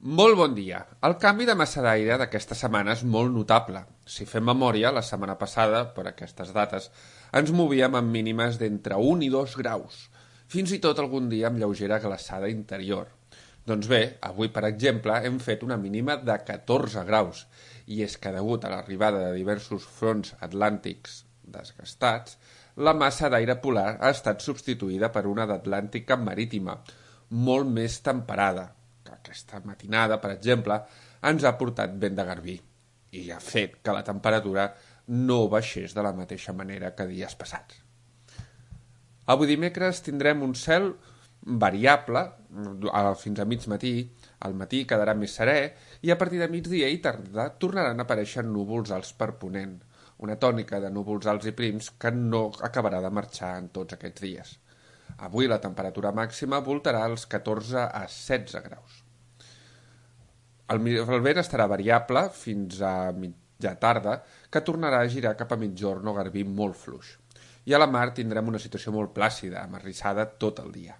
Molt bon dia. El canvi de massa d'aire d'aquesta setmana és molt notable. Si fem memòria, la setmana passada, per aquestes dates, ens movíem amb mínimes d'entre 1 i 2 graus, fins i tot algun dia amb lleugera glaçada interior. Doncs bé, avui, per exemple, hem fet una mínima de 14 graus, i és que degut a l'arribada de diversos fronts atlàntics desgastats, la massa d'aire polar ha estat substituïda per una d'atlàntica marítima, molt més temperada, que aquesta matinada, per exemple, ens ha portat vent de garbí i ha fet que la temperatura no baixés de la mateixa manera que dies passats. Avui dimecres tindrem un cel variable fins a mig matí, al matí quedarà més serè i a partir de migdia i tarda tornaran a aparèixer núvols alts per ponent, una tònica de núvols alts i prims que no acabarà de marxar en tots aquests dies. Avui la temperatura màxima voltarà als 14 a 16 graus. El vent estarà variable fins a mitja tarda, que tornarà a girar cap a mitjorn o garbí molt fluix. I a la mar tindrem una situació molt plàcida, amarrissada tot el dia.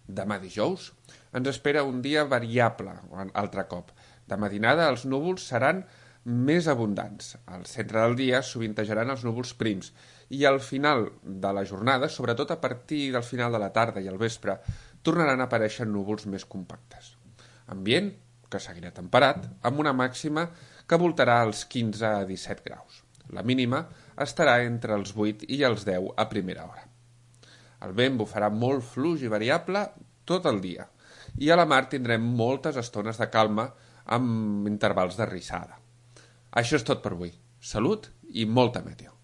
Demà dijous ens espera un dia variable, altre cop. De matinada els núvols seran més abundants. Al centre del dia sovintejaran els núvols prims i al final de la jornada, sobretot a partir del final de la tarda i al vespre, tornaran a aparèixer núvols més compactes. Ambient que seguirà temperat, amb una màxima que voltarà als 15 a 17 graus. La mínima estarà entre els 8 i els 10 a primera hora. El vent bufarà molt fluix i variable tot el dia, i a la mar tindrem moltes estones de calma amb intervals de rissada. Això és tot per avui. Salut i molta meteo.